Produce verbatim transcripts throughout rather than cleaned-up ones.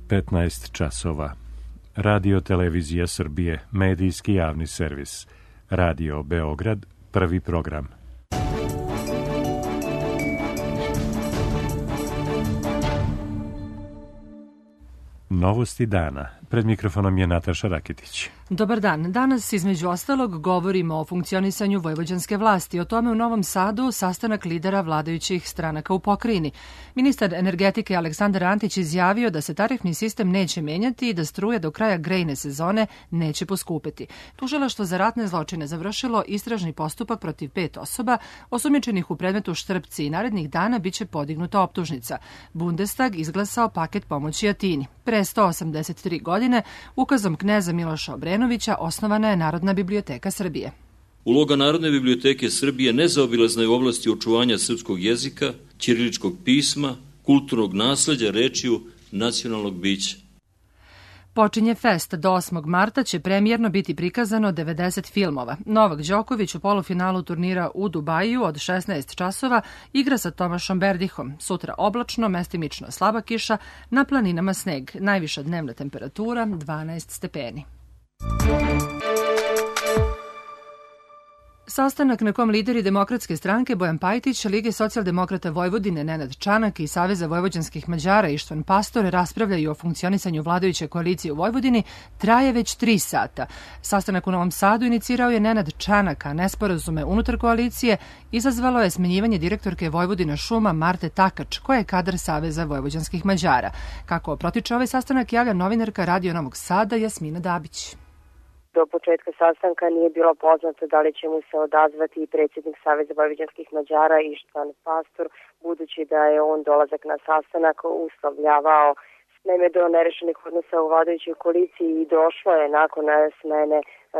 petnaest časova. Radio Televizija Srbije, medijski javni servis. Radio Beograd, prvi program. Novosti dana. Pred mikrofonom je Nataša Raketić. Dobar dan. Danas između ostalog govorimo o funkcionisanju vojvođanske vlasti. O tome u Novom Sadu sastanak lidera vladajućih stranaka u pokrajini. Ministar energetike Aleksandar Antić izjavio da se tarifni sistem neće menjati i da struje do kraja grejne sezone neće poskupeti. Tužilaštvo za ratne zločine završilo istražni postupak protiv pet osoba osumnjičenih u predmetu Štrpci i narednih dana biće podignuta optužnica. Bundestag izglasao paket pomoći Atini. Pre sto osamdeset tri godine ukazom kneza Miloša Obrenovića osnovana je Narodna biblioteka Srbije. Uloga Narodne biblioteke Srbije nezaobilazna je u oblasti očuvanja srpskog jezika, ćiriličkog pisma, kulturnog nasleđa, rečju, nacionalnog bića. Počinje fest. Do osmog marta će premijerno biti prikazano devedeset filmova. Novak Đoković u polufinalu turnira u Dubaju od šesnaest časova igra sa Tomašom Berdihom. Sutra oblačno, mestimično slaba kiša, na planinama sneg. Najviša dnevna temperatura dvanaest stepeni. Sastanak na kom lideri Demokratske stranke Bojan Pajtić, Lige socijaldemokrata Vojvodine Nenad Čanak i Saveza vojvođanskih Mađara Ištvan Pastor raspravljaju o funkcionisanju vladajuće koalicije u Vojvodini traje već tri sata. Sastanak u Novom Sadu inicirao je Nenad Čanak, a nesporazume unutar koalicije izazvalo je smenjivanje direktorke Vojvodina šuma Marte Takač, koja je kadar Saveza vojvođanskih Mađara. Kako protiče ovaj sastanak javlja novinarka Radio Novog Sada Jasmina Dabić. Do početka sastanka nije bilo poznato da li će mu se odazvati i predsjednik Saveza vojvođanskih Mađara Ištvan Pastor, budući da je on dolazak na sastanak uslovljavao. Naime, do nerešenih odnosa u vladajućoj koaliciji i došlo je nakon smene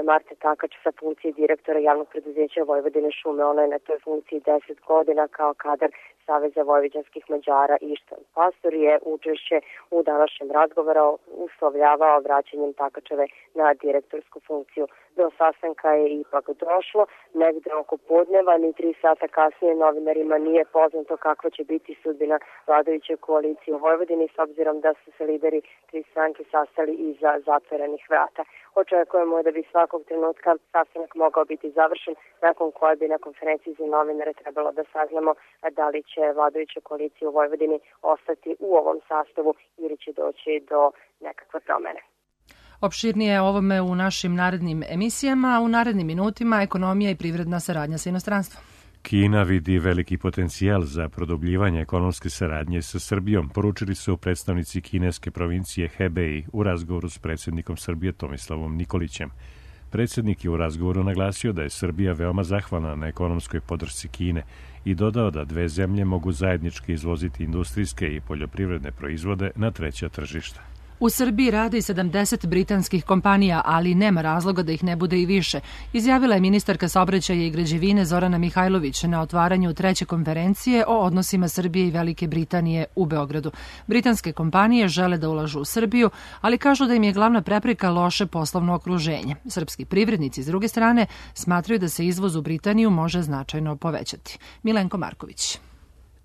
Marte Takač sa funkcije direktora javnog preduzeća Vojvodine šume. Ona je na toj funkciji deset godina kao kadar Saveza vojvođanskih Mađara. Ištvan Pastor je učešće u današnjem razgovoru uslovljavao vraćanjem Takačeve na direktorsku funkciju. Do sastanka je ipak došlo. Negde oko podneva, ni tri sata kasnije novinarima nije poznato kakva će biti sudbina vladajuće koalicije u Vojvodini, s obzirom da su se lideri tri stranke sastali iza zatvorenih vrata. Očekujemo da bi svakog trenutka sastanak mogao biti završen, nakon koje bi na konferenciji za novinare trebalo da saznamo da li će vladajuća koalicija u Vojvodini ostati u ovom sastavu ili će doći do nekakve promene. Opširnije o ovome u našim narednim emisijama, a u narednim minutima ekonomija i privredna saradnja sa inostranstvom. Kina vidi veliki potencijal za produbljivanje ekonomske saradnje sa Srbijom, poručili su predstavnici kineske provincije Hebei u razgovoru s predsjednikom Srbije Tomislavom Nikolićem. Predsjednik je u razgovoru naglasio da je Srbija veoma zahvalna na ekonomskoj podršci Kine i dodao da dve zemlje mogu zajednički izvoziti industrijske i poljoprivredne proizvode na treća tržišta. U Srbiji radi sedamdeset britanskih kompanija, ali nema razloga da ih ne bude i više, izjavila je ministarka saobraćaja i građevine Zorana Mihajlović na otvaranju treće konferencije o odnosima Srbije i Velike Britanije u Beogradu. Britanske kompanije žele da ulažu u Srbiju, ali kažu da im je glavna prepreka loše poslovno okruženje. Srpski privrednici, s druge strane, smatraju da se izvoz u Britaniju može značajno povećati. Milenko Marković.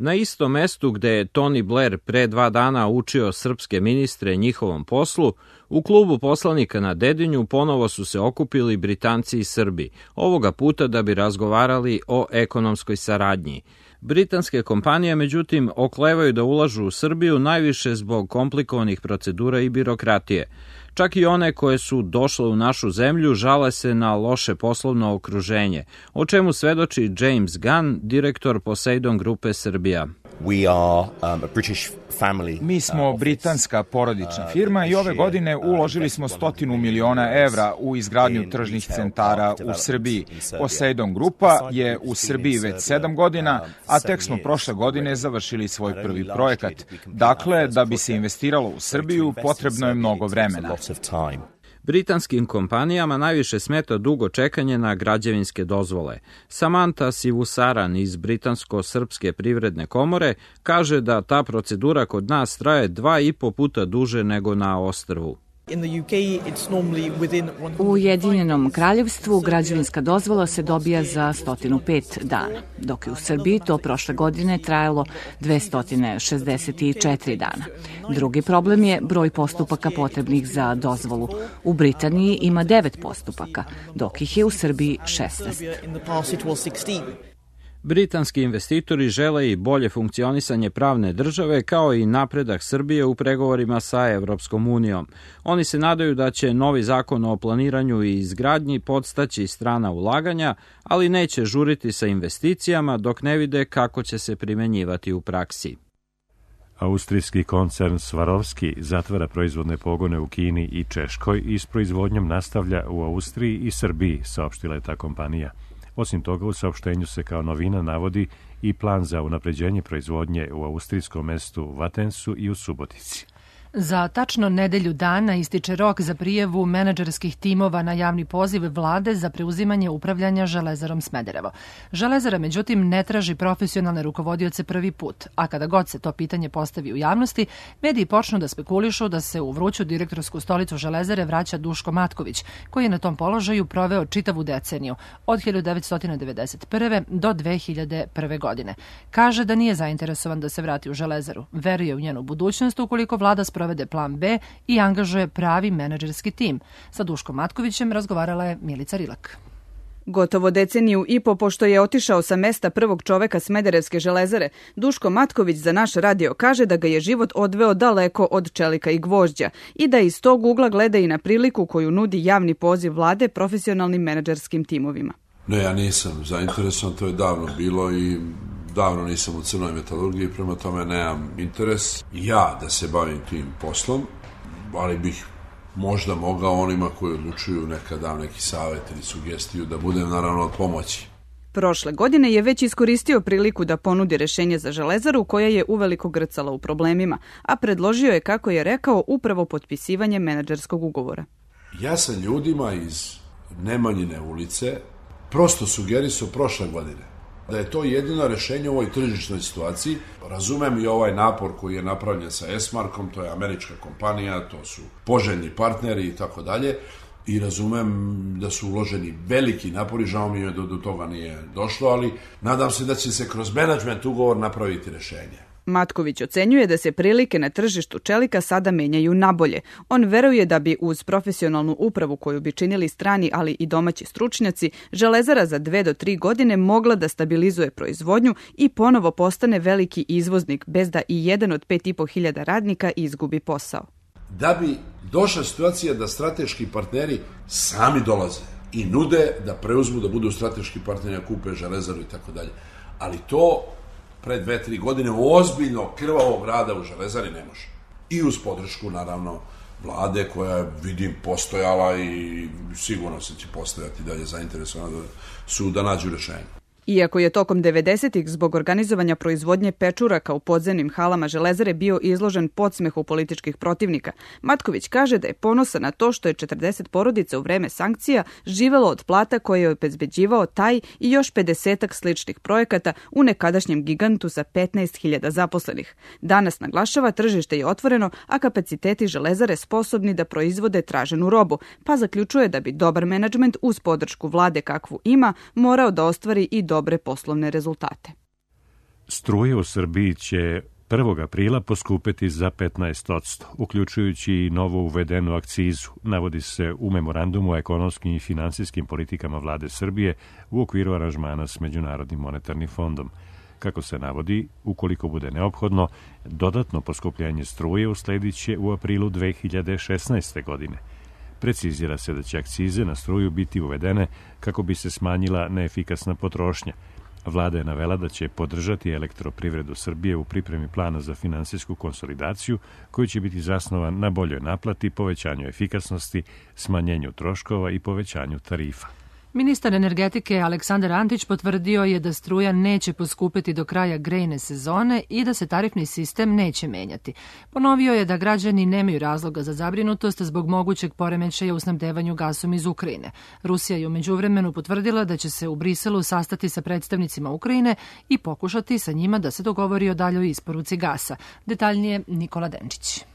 Na istom mestu gde je Tony Blair pre dva dana učio srpske ministre njihovom poslu, u klubu poslanika na Dedinju ponovo su se okupili Britanci i Srbi, ovoga puta da bi razgovarali o ekonomskoj saradnji. Britanske kompanije, međutim, oklevaju da ulažu u Srbiju najviše zbog komplikovanih procedura i birokratije. Čak i one koje su došle u našu zemlju žale se na loše poslovno okruženje, o čemu svedoči James Gunn, direktor Poseidon Grupe Srbija. Mi smo britanska porodična firma i ove godine uložili smo stotinu miliona evra u izgradnju tržnih centara u Srbiji. Poseidon Grupa je u Srbiji već sedam godina, a tek smo prošle godine završili svoj prvi projekat. Dakle, da bi se investiralo u Srbiju, potrebno je mnogo vremena. Britanskim kompanijama najviše smeta dugo čekanje na građevinske dozvole. Samantha Sivusaran iz Britansko-srpske privredne komore kaže da ta procedura kod nas traje dva i po puta duže nego na ostrvu. U Ujedinjenom kraljevstvu građevinska dozvola se dobija za sto pet dana, dok je u Srbiji to prošle godine trajalo dvesta šezdeset četiri dana. Drugi problem je broj postupaka potrebnih za dozvolu. U Britaniji ima devet postupaka, dok ih je u Srbiji šesnaest. Britanski investitori žele i bolje funkcionisanje pravne države kao i napredak Srbije u pregovorima sa Evropskom unijom. Oni se nadaju da će novi zakon o planiranju i izgradnji podstaći strana ulaganja, ali neće žuriti sa investicijama dok ne vide kako će se primenjivati u praksi. Austrijski koncern Swarovski zatvara proizvodne pogone u Kini i Češkoj i s proizvodnjom nastavlja u Austriji i Srbiji, saopštila je ta kompanija. Osim toga, u saopštenju se kao novina navodi i plan za unapređenje proizvodnje u austrijskom mestu Vatensu i u Subotici. Za tačno nedelju dana ističe rok za prijavu menadžerskih timova na javni poziv vlade za preuzimanje upravljanja Železarom Smederevo. Železara, međutim, ne traži profesionalne rukovodioce prvi put, a kada god se to pitanje postavi u javnosti, mediji počnu da spekulišu da se u vruću direktorsku stolicu Železare vraća Duško Matković, koji je na tom položaju proveo čitavu deceniju, od hiljadu devetsto devedeset prve. do dve hiljade prve. godine. Kaže da nije zainteresovan da se vrati u Železaru, veruje u njenu budućnost ukoliko vlada provede plan B i angažuje pravi menadžerski tim. Sa Duškom Matkovićem razgovarala je Milica Rilak. Gotovo deceniju i po pošto je otišao sa mesta prvog čoveka Smederevske železare, Duško Matković za naš radio kaže da ga je život odveo daleko od čelika i gvožđa i da iz tog ugla gleda i na priliku koju nudi javni poziv vlade profesionalnim menadžerskim timovima. Ne, ja nisam zainteresovan, to je davno bilo i davno nisam u crnoj metalurgiji, prema tome nemam interes ja da se bavim tim poslom, ali bih možda mogao onima koji odlučuju nekad dam neki savjet ili sugestiju da budem naravno od pomoći. Prošle godine je već iskoristio priliku da ponudi rešenje za Železaru koja je uveliko grcala u problemima, a predložio je, kako je rekao, upravo potpisivanje menadžerskog ugovora. Ja sam ljudima iz Nemanjine ulice prosto sugerisao prošle godine da je to jedino rešenje u ovoj tržišnoj situaciji. Razumem i ovaj napor koji je napravljen sa Esmarkom, to je američka kompanija, to su poželjni partneri i tako dalje, i razumem da su uloženi veliki napori, žao mi je da do toga nije došlo, ali nadam se da će se kroz menadžment ugovor napraviti rešenje. Matković ocenjuje da se prilike na tržištu čelika sada menjaju nabolje. On veruje da bi uz profesionalnu upravu koju bi činili strani, ali i domaći stručnjaci, Železara za dve do tri godine mogla da stabilizuje proizvodnju i ponovo postane veliki izvoznik, bez da i jedan od pet i po hiljada radnika izgubi posao. Da bi došla situacija da strateški partneri sami dolaze i nude da preuzmu, da budu strateški partneri, da kupe Železaru i tako dalje. Ali to pre dve, tri godine ozbiljno krvavog rada u Železari ne može. I uz podršku, naravno, vlade koja, vidim, postojala i sigurno se će postojati dalje zainteresovana da su da nađu rešenje. Iako je tokom devedesetih zbog organizovanja proizvodnje pečuraka u podzemnim halama Železare bio izložen podsmehu političkih protivnika, Matković kaže da je ponosan na to što je četrdeset porodica u vreme sankcija živelo od plata koje je obezbeđivao taj i još pedesetak sličnih projekata u nekadašnjem gigantu sa petnaest hiljada zaposlenih. Danas, naglašava, tržište je otvoreno, a kapaciteti Železare sposobni da proizvode traženu robu, pa zaključuje da bi dobar menadžment uz podršku vlade kakvu ima morao da ostvari i dobre poslovne rezultate. Struje u Srbiji će prvog aprila poskupeti za petnaest posto, uključujući i novo uvedenu akcizu, navodi se u memorandumu o ekonomskim i finansijskim politikama vlade Srbije u okviru aranžmana s Međunarodnim monetarnim fondom. Kako se navodi, ukoliko bude neophodno, dodatno poskupljenje struje usledit će u aprilu dve hiljade šesnaeste. godine. Precizira se da će akcize na struju biti uvedene kako bi se smanjila neefikasna potrošnja. Vlada je navela da će podržati elektroprivredu Srbije u pripremi plana za finansijsku konsolidaciju koji će biti zasnovan na boljoj naplati, povećanju efikasnosti, smanjenju troškova i povećanju tarifa. Ministar energetike Aleksandar Antić potvrdio je da struja neće poskupiti do kraja grejne sezone i da se tarifni sistem neće menjati. Ponovio je da građani nemaju razloga za zabrinutost zbog mogućeg poremećaja u snabdevanju gasom iz Ukrajine. Rusija je u međuvremenu potvrdila da će se u Briselu sastati sa predstavnicima Ukrajine i pokušati sa njima da se dogovori o daljoj isporuci gasa. Detaljnije Nikola Denčić.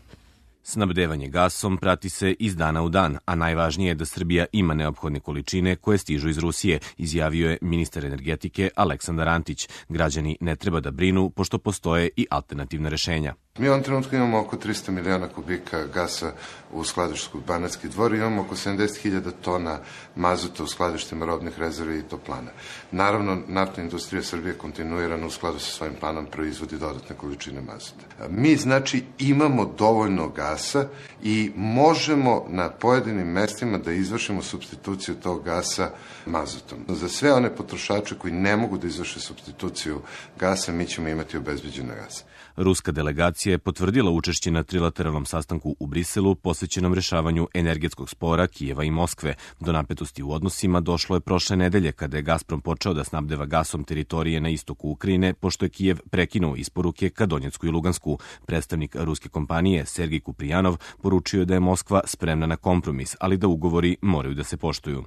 Snabdevanje gasom prati se iz dana u dan, a najvažnije je da Srbija ima neophodne količine koje stižu iz Rusije, izjavio je ministar energetike Aleksandar Antić. Građani ne treba da brinu, pošto postoje i alternativna rešenja. Mi u ovom trenutku imamo oko tristo miliona kubika gasa u skladištu Banatski Dvor i imamo oko sedamdeset hiljada tona mazuta u skladištima robnih rezervi i toplana. Naravno, naftna industrija Srbije kontinuirano u skladu sa svojim planom proizvodi dodatne količine mazuta. Mi, znači, imamo dovoljno gasa i možemo na pojedinim mestima da izvršimo supstituciju tog gasa mazutom. Za sve one potrošače koji ne mogu da izvrše supstituciju gasa, mi ćemo imati obezbeđena gasa. Ruska delegacija je potvrdila učešće na trilateralnom sastanku u Briselu posvećenom rešavanju energetskog spora Kijeva i Moskve. Do napetosti u odnosima došlo je prošle nedelje kada je Gazprom počeo da snabdeva gasom teritorije na istoku Ukrajine, pošto je Kijev prekinuo isporuke ka Donjecku i Lugansku. Predstavnik ruske kompanije Sergij Kuprijanov poručio je da je Moskva spremna na kompromis, ali da ugovori moraju da se poštuju.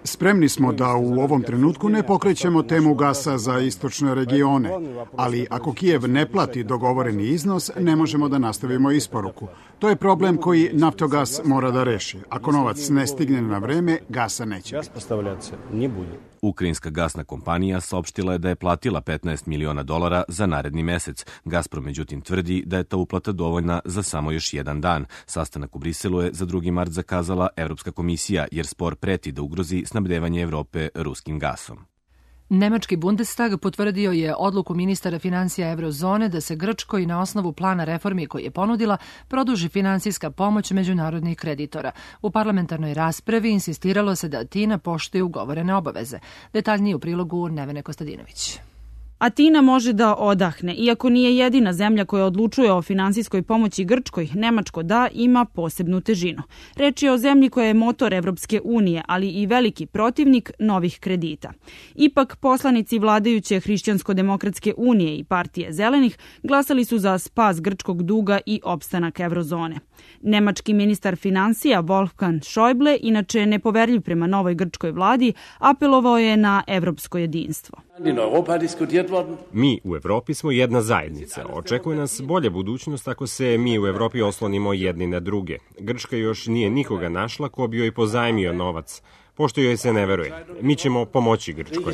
Spremni smo da u ovom trenutku ne pokrećemo temu gasa za istočne regione, ali ako Kijev ne plati dogovoreni iznos, ne možemo da nastavimo isporuku. To je problem koji Naftogas mora da reši. Ako novac ne stigne na vreme, gasa neće biti. Ukrajinska gasna kompanija saopštila je da je platila petnaest miliona dolara za naredni mesec. Gazprom međutim tvrdi da je ta uplata dovoljna za samo još jedan dan. Sastanak u Briselu je za drugi mart zakazala Evropska komisija, jer spor preti da ugrozi snabdevanje Evrope ruskim gasom. Nemački Bundestag potvrdio je odluku ministara finansija Eurozone da se Grčkoj na osnovu plana reformi koji je ponudila produži finansijska pomoć međunarodnih kreditora. U parlamentarnoj raspravi insistiralo se da Atina poštuje ugovorene obaveze. Detaljnije u prilogu Nevene Kostadinović. Atina može da odahne. Iako nije jedina zemlja koja odlučuje o finansijskoj pomoći Grčkoj, Nemačko da ima posebnu težinu. Reč je o zemlji koja je motor Evropske unije, ali i veliki protivnik novih kredita. Ipak, poslanici vladajuće Hrišćansko-demokratske unije i partije Zelenih glasali su za spas grčkog duga i opstanak Evrozone. Nemački ministar finansija Wolfgang Schäuble, inače nepoverljiv prema novoj grčkoj vladi, apelovao je na evropsko jedinstvo. Mi u Evropi smo jedna zajednica. Očekuje nas bolja budućnost ako se mi u Evropi oslonimo jedni na druge. Grčka još nije nikoga našla ko bi joj pozajmio novac, pošto joj se ne veruje. Mi ćemo pomoći Grčkoj.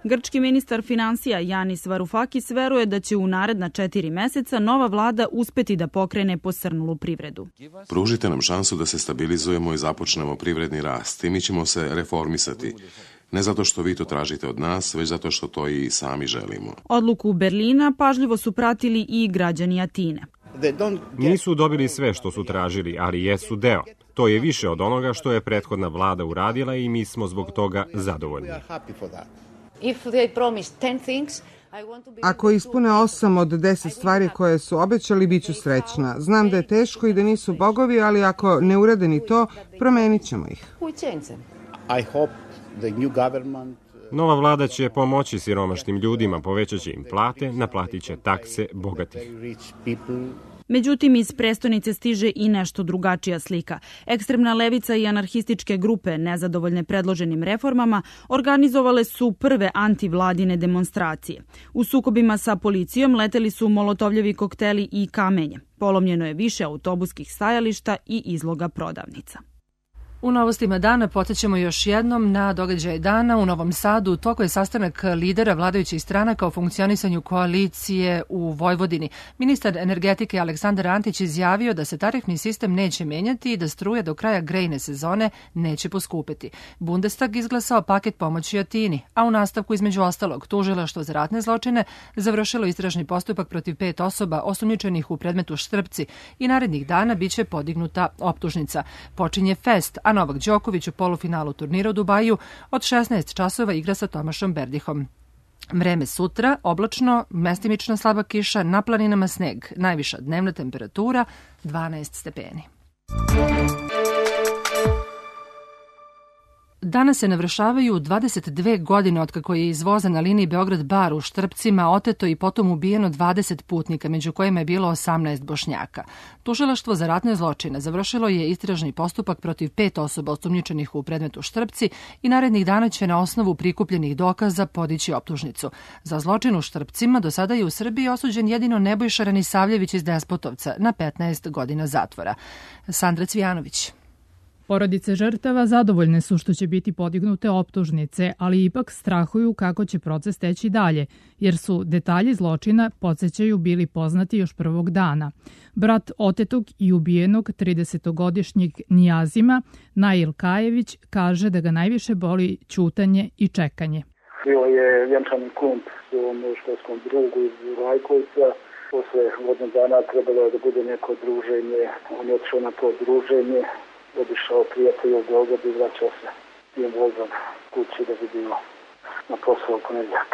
Grčki ministar finansija Yanis Varoufakis veruje da će u naredna četiri meseca nova vlada uspeti da pokrene posrnulu privredu. Pružite nam šansu da se stabilizujemo i započnemo privredni rast i mi ćemo se reformisati. Ne zato što vi to tražite od nas, već zato što to i sami želimo. Odluku Berlina pažljivo su pratili i građani Atine. Nisu dobili sve što su tražili, ali jesu deo. To je više od onoga što je prethodna vlada uradila i mi smo zbog toga zadovoljni. Ako ispune osam od deset stvari koje su obećali, bit ću srećna. Znam da je teško i da nisu bogovi, ali ako ne urade ni to, promenit ćemo ih. Nova vlada će pomoći siromašnim ljudima, povećaće im plate, naplatit će takse bogatih. Međutim, iz prestonice stiže i nešto drugačija slika. Ekstremna levica i anarhističke grupe, nezadovoljne predloženim reformama, organizovale su prve antivladine demonstracije. U sukobima sa policijom leteli su molotovljevi kokteli i kamenje. Polomljeno je više autobuskih stajališta i izloga prodavnica. U novostima dana podsjećamo još jednom na događaj dana. U Novom Sadu u toku je sastanak lidera vladajućih stranaka o funkcionisanju koalicije u Vojvodini. Ministar energetike Aleksandar Antić izjavio da se tarifni sistem neće menjati i da struja do kraja grejne sezone neće poskupeti. Bundestag izglasao paket pomoći Atini, a u nastavku između ostalog tužilaštvo za ratne zločine završilo istražni postupak protiv pet osoba osumnjičenih u predmetu Štrpci i narednih dana biće podignuta optužnica. Počinje fest, a Novak Đoković u polufinalu turnira u Dubaju od šesnaest časova igra sa Tomašom Berdihom. Vreme sutra, oblačno, mestimično slaba kiša, na planinama sneg, najviša dnevna temperatura dvanaest stepeni. Danas se navršavaju dvadeset dve godine otkako je iz voza na liniji Beograd-Bar u Štrpcima oteto i potom ubijeno dvadeset putnika, među kojima je bilo osamnaest Bošnjaka. Tužilaštvo za ratne zločine završilo je istražni postupak protiv pet osoba osumnjičenih u predmetu Štrpci i narednih dana će na osnovu prikupljenih dokaza podići optužnicu. Za zločin u Štrpcima do sada je u Srbiji osuđen jedino Nebojša Ranisavljević iz Despotovca na petnaest godina zatvora. Sandra Cvijanović. Porodice žrtava zadovoljne su što će biti podignute optužnice, ali ipak strahuju kako će proces teći dalje, jer su detalji zločina, podsjećaju, bili poznati još prvog dana. Brat otetog i ubijenog tridesetogodišnjeg Nijazima, Nail Kajević, kaže da ga najviše boli ćutanje i čekanje. Bio je vjenčani kump svom školskom drugu iz Rajkovca. Posle godinu dana trebalo je da bude neko druženje. On je otišao na to druženje. Obišao prijatelja u Beogradu i vraćao se tim vozom kući da bi bio na posao u ponedjeljak.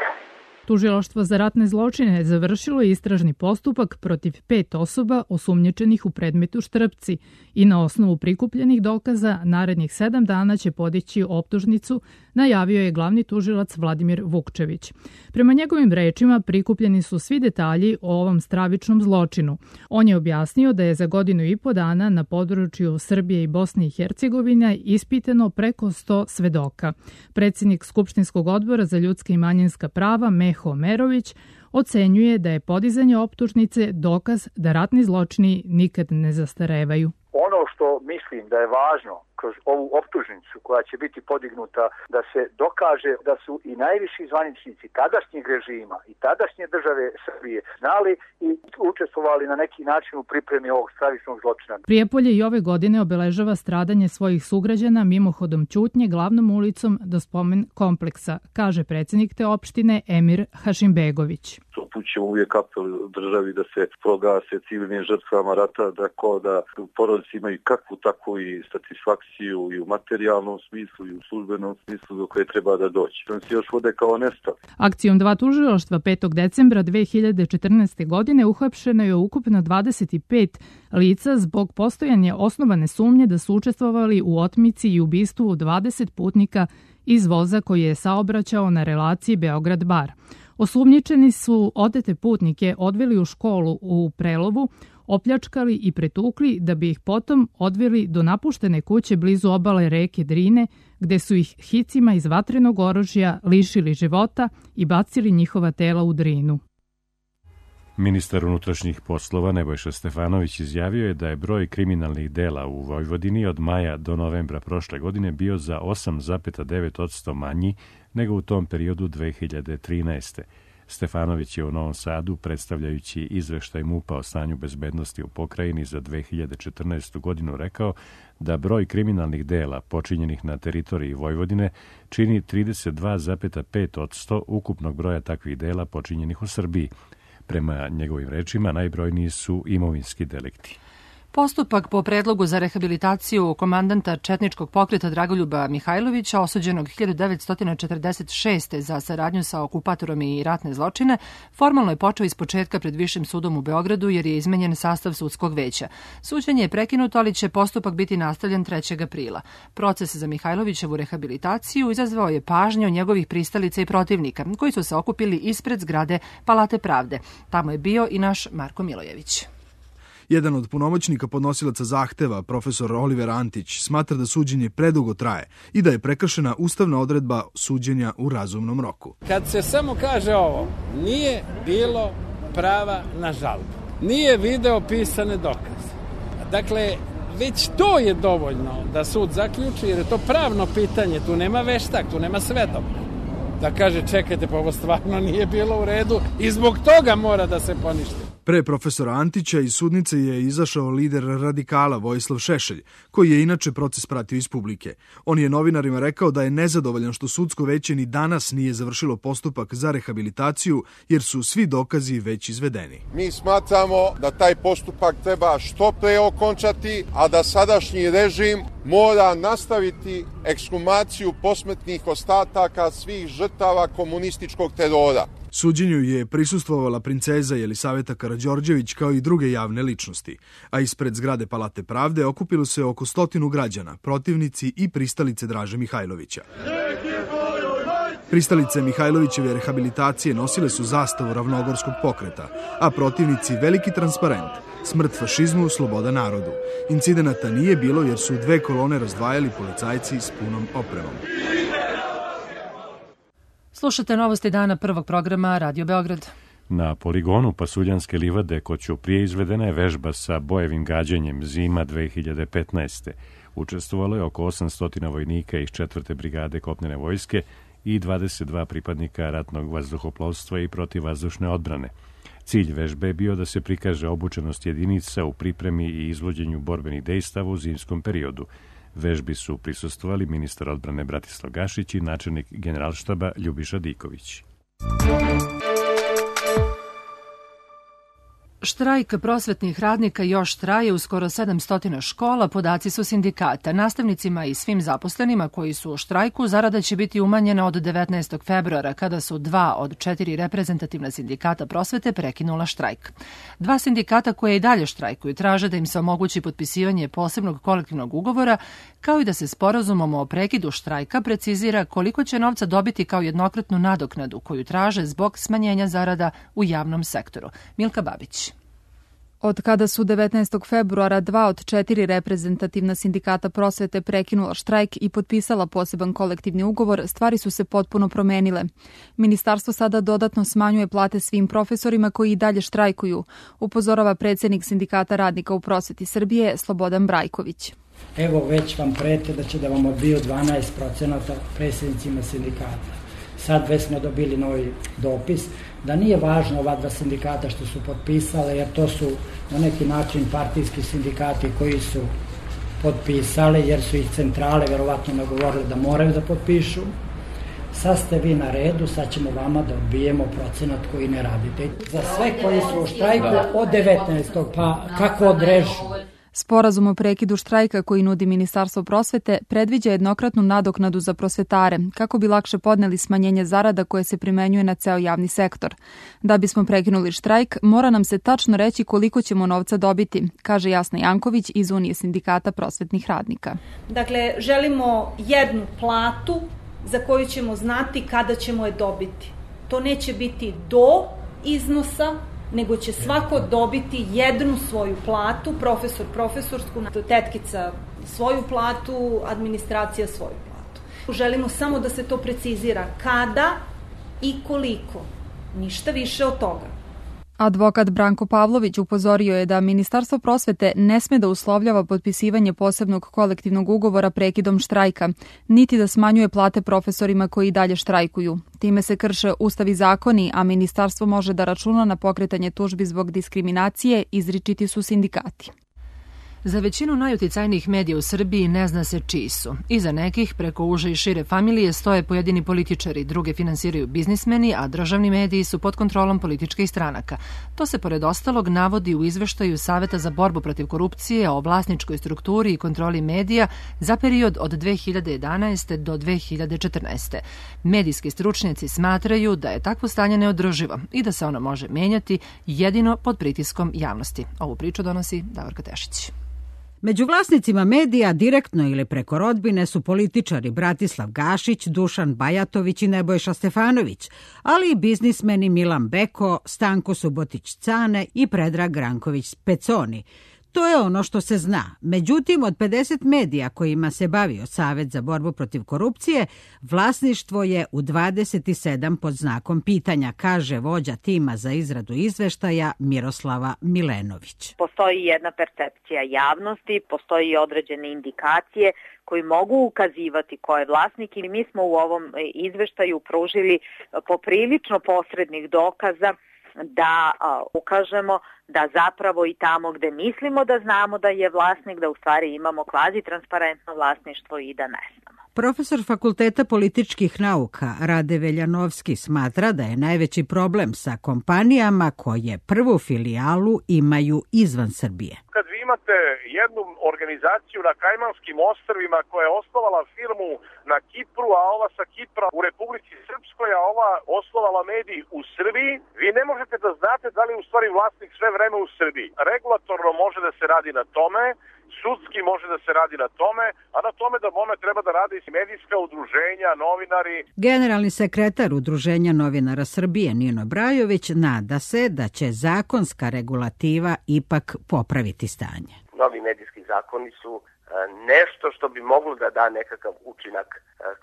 Tužilaštvo za ratne zločine završilo je istražni postupak protiv pet osoba osumnjičenih u predmetu Štrpci i na osnovu prikupljenih dokaza narednih sedam dana će podići optužnicu, najavio je glavni tužilac Vladimir Vukčević. Prema njegovim rečima prikupljeni su svi detalji o ovom stravičnom zločinu. On je objasnio da je za godinu i po dana na području Srbije i Bosne i Hercegovine ispitano preko sto svedoka. Predsjednik Skupštinskog odbora za ljudska i manjinska prava Meho Merović ocenjuje da je podizanje optužnice dokaz da ratni zločini nikad ne zastarevaju. Ono što mislim da je važno kroz ovu optužnicu koja će biti podignuta, da se dokaže da su i najviši zvaničnici tadašnjeg režima i tadašnje države Srbije znali i učestvovali na neki način u pripremi ovog stravičnog zločina. Prijepolje i ove godine obeležava stradanje svojih sugrađana mimohodom ćutnje glavnom ulicom do spomen kompleksa, kaže predsjednik te opštine Emir Hašimbegović. Upućujemo uvijek apel državi da se progase civilnim žrtvama rata, da ko da porodice imaju kakvu takvu i satisfakciju i u materijalnom smislu i u službenom smislu do koje treba da doći. On se još vode kao nestali. Akcijom dva tužilaštva petog decembra dve hiljade četrnaeste. godine uhapšeno je ukupno dvadeset pet lica zbog postojanja osnovane sumnje da su učestvovali u otmici i ubistvu dvadeset putnika iz voza koji je saobraćao na relaciji Beograd-Bar. Osumnjičeni su otete putnike odveli u školu u Prelovu, opljačkali i pretukli da bi ih potom odveli do napuštene kuće blizu obale reke Drine, gde su ih hicima iz vatrenog oružja lišili života i bacili njihova tela u Drinu. Ministar unutrašnjih poslova Nebojša Stefanović izjavio je da je broj kriminalnih dela u Vojvodini od maja do novembra prošle godine bio za osam zarez devet posto manji nego u tom periodu dve hiljade trinaeste. Stefanović je u Novom Sadu, predstavljajući izveštaj MUP-a o stanju bezbednosti u pokrajini za dve hiljade četrnaestu. godinu, rekao da broj kriminalnih dela počinjenih na teritoriji Vojvodine čini trideset dva zarez pet posto ukupnog broja takvih dela počinjenih u Srbiji. Prema njegovim rečima, najbrojniji su imovinski delikti. Postupak po predlogu za rehabilitaciju komandanta četničkog pokreta Dragoljuba Mihajlovića, osuđenog hiljadu devetsto četrdeset šeste. za saradnju sa okupatorom i ratne zločine, formalno je počeo ispočetka pred Višim sudom u Beogradu jer je izmenjen sastav sudskog veća. Suđenje je prekinuto, ali će postupak biti nastavljen trećeg aprila. Proces za Mihajlovićevu rehabilitaciju izazvao je pažnju njegovih pristalica i protivnika, koji su se okupili ispred zgrade Palate pravde. Tamo je bio i naš Marko Milojević. Jedan od punomoćnika podnosilaca zahteva, profesor Oliver Antić, smatra da suđenje predugo traje i da je prekršena ustavna odredba suđenja u razumnom roku. Kad se samo kaže ovo, nije bilo prava na žalbu, nije video pisane dokaze. Dakle, već to je dovoljno da sud zaključi, jer je to pravno pitanje, tu nema veštak, tu nema svedok. Da kaže, čekajte, pa ovo stvarno nije bilo u redu i zbog toga mora da se poništi. Pre profesora Antića iz sudnice je izašao lider radikala Vojislav Šešelj, koji je inače proces pratio iz publike. On je novinarima rekao da je nezadovoljan što sudsko veće ni danas nije završilo postupak za rehabilitaciju, jer su svi dokazi već izvedeni. Mi smatramo da taj postupak treba što pre okončati, a da sadašnji režim mora nastaviti ekshumaciju posmrtnih ostataka svih žrtava komunističkog terora. Suđenju je prisustvovala princeza Jelisaveta Karađorđević kao i druge javne ličnosti, a ispred zgrade Palate pravde okupilo se oko stotinu građana, protivnici i pristalice Draže Mihajlovića. Pristalice Mihajlovićeve rehabilitacije nosile su zastavu ravnogorskog pokreta, a protivnici veliki transparent smrt fašizmu, sloboda narodu. Incidenata nije bilo jer su dve kolone razdvajali policajci s punom opremom. Slušate novosti dana prvog programa Radio Beograd. Na poligonu Pasuljanske livade kod Ćuprije izvedena je vežba sa bojevim gađanjem Zima dve hiljade petnaeste. Učestvovalo je oko osamsto vojnika iz četvrte brigade kopnene vojske i dvadeset dva pripadnika ratnog vazduhoplovstva i protivvazdušne odbrane. Cilj vežbe je bio da se prikaže obučenost jedinica u pripremi i izvođenju borbenih dejstava u zimskom periodu. Vežbi su prisustvovali ministar odbrane Bratislav Gašić i načelnik generalštaba Ljubiša Diković. Štrajk prosvetnih radnika još traje u skoro sedamsto škola, podaci su sindikata. Nastavnicima i svim zaposlenima koji su u štrajku zarada će biti umanjena od devetnaestog februara, kada su dva od četiri reprezentativna sindikata prosvete prekinula štrajk. Dva sindikata koje i dalje štrajkuju traže da im se omogući potpisivanje posebnog kolektivnog ugovora, kao i da se sporazumom o prekidu štrajka precizira koliko će novca dobiti kao jednokratnu nadoknadu koju traže zbog smanjenja zarada u javnom sektoru. Milka Babić. Od kada su devetnaestog februara dva od četiri reprezentativna sindikata prosvete prekinula štrajk i potpisala poseban kolektivni ugovor, stvari su se potpuno promenile. Ministarstvo sada dodatno smanjuje plate svim profesorima koji i dalje štrajkuju, upozorava predsjednik Sindikata radnika u prosveti Srbije Slobodan Brajković. Evo već vam prete da će da vam odbiju dvanaest procenata predsjednicima sindikata. Sad već smo dobili novi dopis da nije važno ova dva sindikata što su potpisale, jer to su na neki način partijski sindikati koji su potpisali, jer su ih centrale verovatno nagovorili da moraju da potpišu. Sad ste vi na redu, sad ćemo vama da odbijemo procenat koji ne radite. Za sve koji su u štrajku od devetnaestog pa kako odrežu. Sporazum o prekidu štrajka koji nudi Ministarstvo prosvete predviđa jednokratnu nadoknadu za prosvetare, kako bi lakše podneli smanjenje zarada koje se primenjuje na ceo javni sektor. Da bismo prekinuli štrajk, mora nam se tačno reći koliko ćemo novca dobiti, kaže Jasna Janković iz Unije sindikata prosvetnih radnika. Dakle, želimo jednu platu za koju ćemo znati kada ćemo je dobiti. To neće biti do iznosa, nego će svako dobiti jednu svoju platu, profesor profesorsku, tetkica svoju platu, administracija svoju platu. Želimo samo da se to precizira kada i koliko, ništa više od toga. Advokat Branko Pavlović upozorio je da Ministarstvo prosvete ne sme da uslovljava potpisivanje posebnog kolektivnog ugovora prekidom štrajka, niti da smanjuje plate profesorima koji dalje štrajkuju. Time se krše ustav i zakoni, a ministarstvo može da računa na pokretanje tužbi zbog diskriminacije, izričiti su sindikati. Za većinu najuticajnijih medija u Srbiji ne zna se čiji su. Iza nekih, preko uže i šire familije, stoje pojedini političari, druge finansiraju biznismeni, a državni mediji su pod kontrolom političkih stranaka. To se pored ostalog navodi u izveštaju Saveta za borbu protiv korupcije o vlasničkoj strukturi i kontroli medija za period od dve hiljade jedanaeste. do dve hiljade četrnaeste. Medijski stručnjaci smatraju da je takvo stanje neodrživo i da se ono može menjati jedino pod pritiskom javnosti. Ovu priču donosi Davorka Tešić. Među vlasnicima medija direktno ili preko rodbine su političari Bratislav Gašić, Dušan Bajatović i Nebojša Stefanović, ali i biznismeni Milan Beko, Stanko Subotić-Cane i Predrag Ranković-Peconi. To je ono što se zna. Međutim, od pedeset medija kojima se bavio Savet za borbu protiv korupcije, vlasništvo je u dvadeset sedam pod znakom pitanja, kaže vođa tima za izradu izveštaja Miroslava Milenović. Postoji jedna percepcija javnosti, postoji određene indikacije koji mogu ukazivati ko je vlasnik i mi smo u ovom izveštaju pružili poprilično posrednih dokaza da a, ukažemo da zapravo i tamo gde mislimo da znamo da je vlasnik, da u stvari imamo kvazi transparentno vlasništvo i da ne znamo. Profesor Fakulteta političkih nauka Rade Veljanovski smatra da je najveći problem sa kompanijama koje prvu filijalu imaju izvan Srbije. Kad vi imate jednu organizaciju na Kajmanskim ostrvima koja je osnovala firmu na Kipru, a ova sa Kipra u Republici Srpskoj, a ova osnovala medij u Srbiji, vi ne možete da znate da li je u stvari vlasnik sve vreme u Srbiji. Regulatorno može da se radi na tome, sudski može da se radi na tome, a na tome da bome treba da rade i medijska udruženja, novinari. Generalni sekretar Udruženja novinara Srbije Nino Brajović nada se da će zakonska regulativa ipak popraviti stanje. Novi medijski zakoni su nešto što bi moglo da da nekakav učinak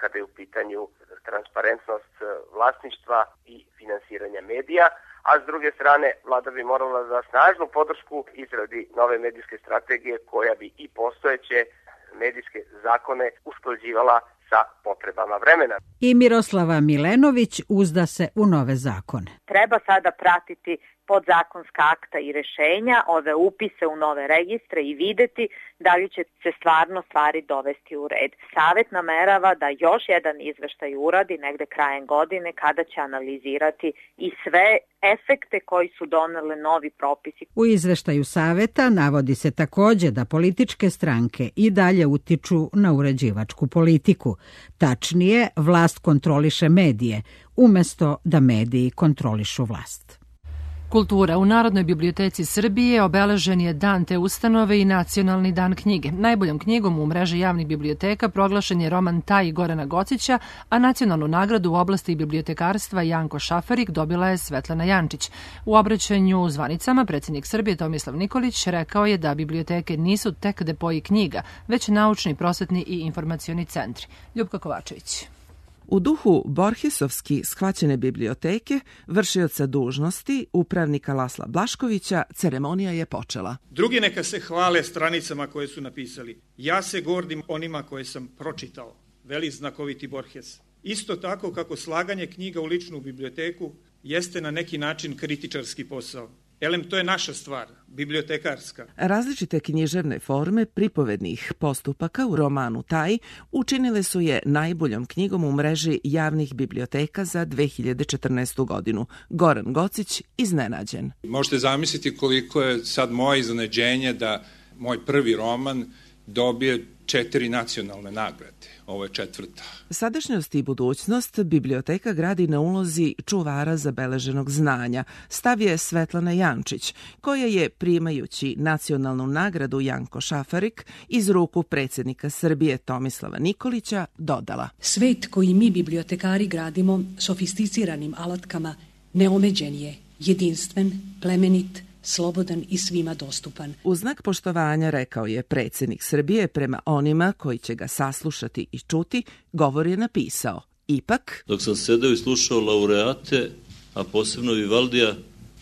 kada je u pitanju transparentnost vlasništva i finansiranja medija, a s druge strane vlada bi morala da snažnu podršku izradi nove medijske strategije koja bi i postojeće medijske zakone usklađivala sa potrebama vremena. I Miroslava Milenović uzda se u nove zakone. Treba sada pratiti podzakonska akta i rešenja, ove upise u nove registre i videti da li će se stvarno stvari dovesti u red. Savet namerava da još jedan izveštaj uradi negde krajem godine kada će analizirati i sve efekte koji su donele novi propisi. U izveštaju Saveta navodi se takođe da političke stranke i dalje utiču na uređivačku politiku. Tačnije, vlast kontroliše medije, umesto da mediji kontrolišu vlast. Kultura. U Narodnoj biblioteci Srbije obeležen je dan te ustanove i Nacionalni dan knjige. Najboljom knjigom u mreži javnih biblioteka proglašen je roman Taj Gorana Gocića, a nacionalnu nagradu u oblasti bibliotekarstva Janko Šafarik dobila je Svetlana Jančić. U obraćanju zvanicama predsjednik Srbije Tomislav Nikolić rekao je da biblioteke nisu tek depoji knjiga, već naučni, prosvetni i informacioni centri. Ljubka Kovačević. U duhu Borgesovski shvaćene biblioteke, vršioca dužnosti, upravnika Lasla Blaškovića, ceremonija je počela. Drugi neka se hvale stranicama koje su napisali. Ja se gordim onima koje sam pročitao, veli znakoviti Borges. Isto tako kako slaganje knjiga u ličnu biblioteku jeste na neki način kritičarski posao. Elem, to je naša stvar, bibliotekarska. Različite književne forme pripovednih postupaka u romanu Taj učinile su je najboljom knjigom u mreži javnih biblioteka za dve hiljade četrnaestu godinu. Goran Gocić iznenađen. Možete zamisliti koliko je sad moje iznenađenje da moj prvi roman dobije četiri nacionalne nagrade. Ovo je četvrta. Sadašnjost i budućnost biblioteka gradi na ulozi čuvara zabeleženog znanja, stav je Svetlana Jančić, koja je, primajući nacionalnu nagradu Janko Šafarik iz ruku predsjednika Srbije Tomislava Nikolića, dodala. Svet koji mi bibliotekari gradimo sofisticiranim alatkama neomeđen je, jedinstven, plemenit, slobodan i svima dostupan. U znak poštovanja, rekao je predsjednik Srbije prema onima koji će ga saslušati i čuti, govor je napisao. Ipak, dok sam sedeo i slušao laureate, a posebno Vivaldija,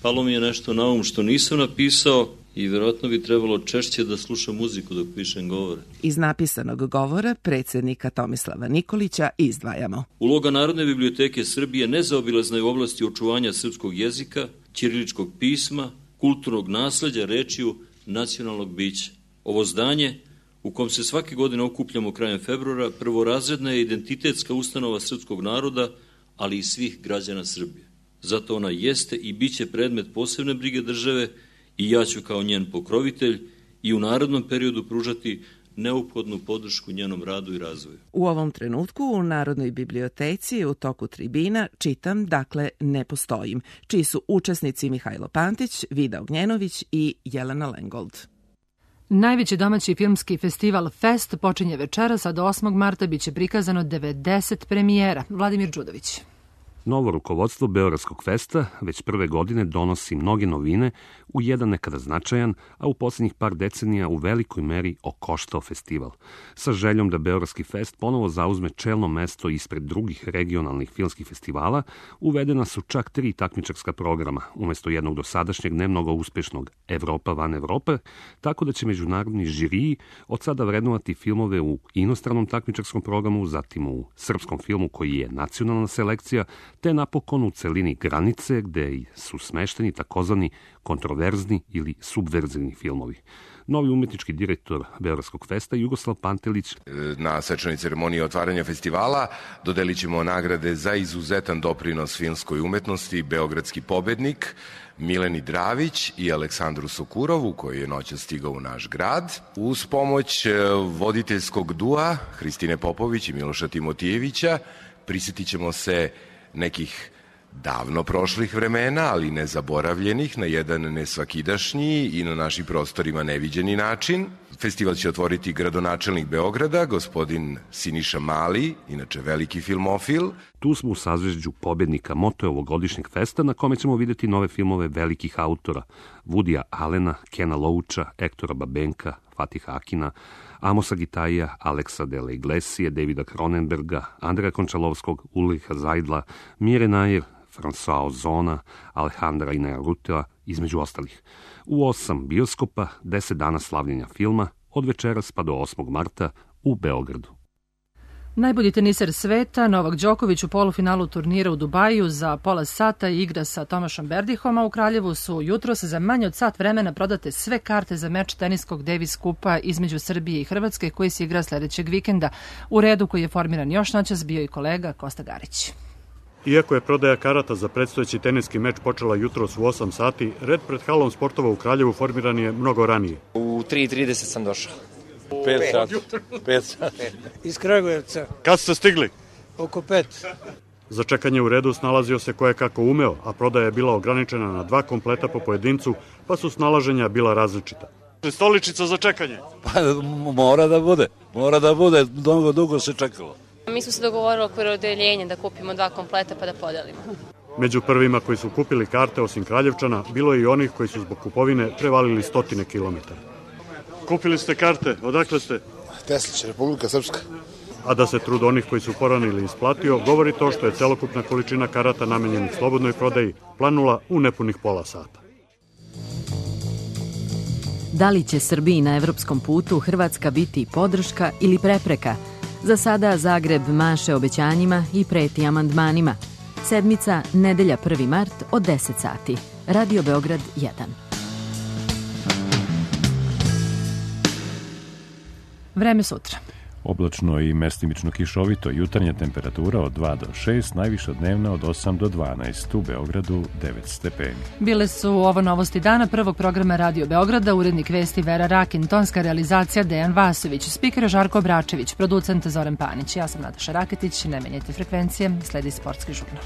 palo mi je nešto na um što nisam napisao i vjerojatno bi trebalo češće da slušam muziku dok pišem govore. Iz napisanog govora predsjednika Tomislava Nikolića izdvajamo. Uloga Narodne biblioteke Srbije nezaobilazna je u oblasti očuvanja srpskog jezika, ćiriličkog pisma, kulturnog nasleđa, rečiju, nacionalnog bića. Ovo zdanje, u kom se svake godine okupljamo krajem februara, prvorazredna je identitetska ustanova srpskog naroda, ali i svih građana Srbije. Zato ona jeste i bit će predmet posebne brige države i ja ću kao njen pokrovitelj i u narednom periodu pružati neophodnu podršku njenom radu i razvoju. U ovom trenutku u Narodnoj biblioteci u toku tribina čitam, dakle, Ne postojim, čiji su učesnici Mihajlo Pantić, Vida Ognjenović i Jelena Lengold. Najveći domaći filmski festival Fest počinje večeras, a do osmog marta biće prikazano devedeset premijera. Vladimir Đudović. Novo rukovodstvo Beogradskog festa već prve godine donosi mnoge novine u jedan nekada značajan, a u posljednjih par decenija u velikoj meri okoštao festival. Sa željom da Beogradski fest ponovo zauzme čelno mesto ispred drugih regionalnih filmskih festivala, uvedena su čak tri takmičarska programa, umjesto jednog dosadašnjeg ne mnogo uspešnog Evropa van Evrope, tako da će međunarodni žiriji od sada vrednovati filmove u inostranom takmičarskom programu, zatim u srpskom filmu koji je nacionalna selekcija, te napokon u celini Granice, gde su smešteni takozvani kontroverzni ili subverzivni filmovi. Novi umetnički direktor Beogradskog festa, Jugoslav Pantelić. Na svečanoj ceremoniji otvaranja festivala dodelit ćemo nagrade za izuzetan doprinos filmskoj umetnosti Beogradski pobednik Mileni Dravić i Aleksandru Sokurovu, koji je noćas stigao u naš grad. Uz pomoć voditeljskog dua Hristine Popović i Miloša Timotijevića prisjetit ćemo se nekih davno prošlih vremena, ali nezaboravljenih, na jedan nesvakidašnji i na našim prostorima neviđeni način. Festival će otvoriti gradonačelnik Beograda, gospodin Siniša Mali, inače veliki filmofil. Tu smo u sazvežđu pobednika moto ovogodišnjeg festa, na kome ćemo videti nove filmove velikih autora: Woodya Allena, Kena Loacha, Ektora Babenka, Fatiha Akina, Amosa Gitaija, Aleksa de la Iglesia, Davida Cronenberga, Andreja Končalovskog, Ulricha Zajdla, Mire Nair, François Ozona, Alejandra Inarritua, između ostalih. U osam bioskopa, deset dana slavljenja filma, od večeras pa do osmog marta u Beogradu. Najbolji teniser sveta, Novak Đoković u polufinalu turnira u Dubaju za pola sata igra sa Tomašom Berdihom, a u Kraljevu su jutros za manje od sat vremena prodate sve karte za meč teniskog Davis kupa između Srbije i Hrvatske, koji se igra sledećeg vikenda. U redu koji je formiran još noćas bio i kolega Kosta Garić. Iako je prodaja karata za predstojeći teniski meč počela jutros u osam sati, red pred halom sportova u Kraljevu formiran je mnogo ranije. U tri i trideset sam došao. Pet sati. Pet sati. Iz Kragujevca. Kad ste stigli? Oko pet. Za čekanje u redu snalazio se koje kako umeo, a prodaja je bila ograničena na dva kompleta po pojedincu, pa su snalaženja bila različita. Stoličica za čekanje? Pa mora da bude, mora da bude, dugo, dugo se čekalo. Mi smo se dogovorili oko odeljenja da kupimo dva kompleta pa da podelimo. Među prvima koji su kupili karte osim Kraljevčana, bilo je i onih koji su zbog kupovine prevalili stotine kilometara. Kupili ste karte, odakle ste? Teslić, Republika Srpska. A da se trud onih koji su poranili isplatio, govori to što je celokupna količina karata namenjenih slobodnoj prodaji planula u nepunih pola sata. Da li će Srbiji na evropskom putu Hrvatska biti podrška ili prepreka? Za sada Zagreb maše obećanjima i preti amandmanima. Sedmica, nedelja prvi mart od deset sati. Radio Beograd jedan. Vreme sutra. Oblačno i mestimično kišovito, jutarnja temperatura od dva do šest, najviša dnevna od osam do dvanaest, u Beogradu devet stepeni. Bile su ovo novosti dana prvog programa Radio Beograda, urednik vesti Vera Rakin, tonska realizacija Dejan Vasović, spiker Žarko Bračević, producent Zoran Panić. Ja sam Nataša Raketić, ne menjajte frekvencije, sledi sportski žurnal.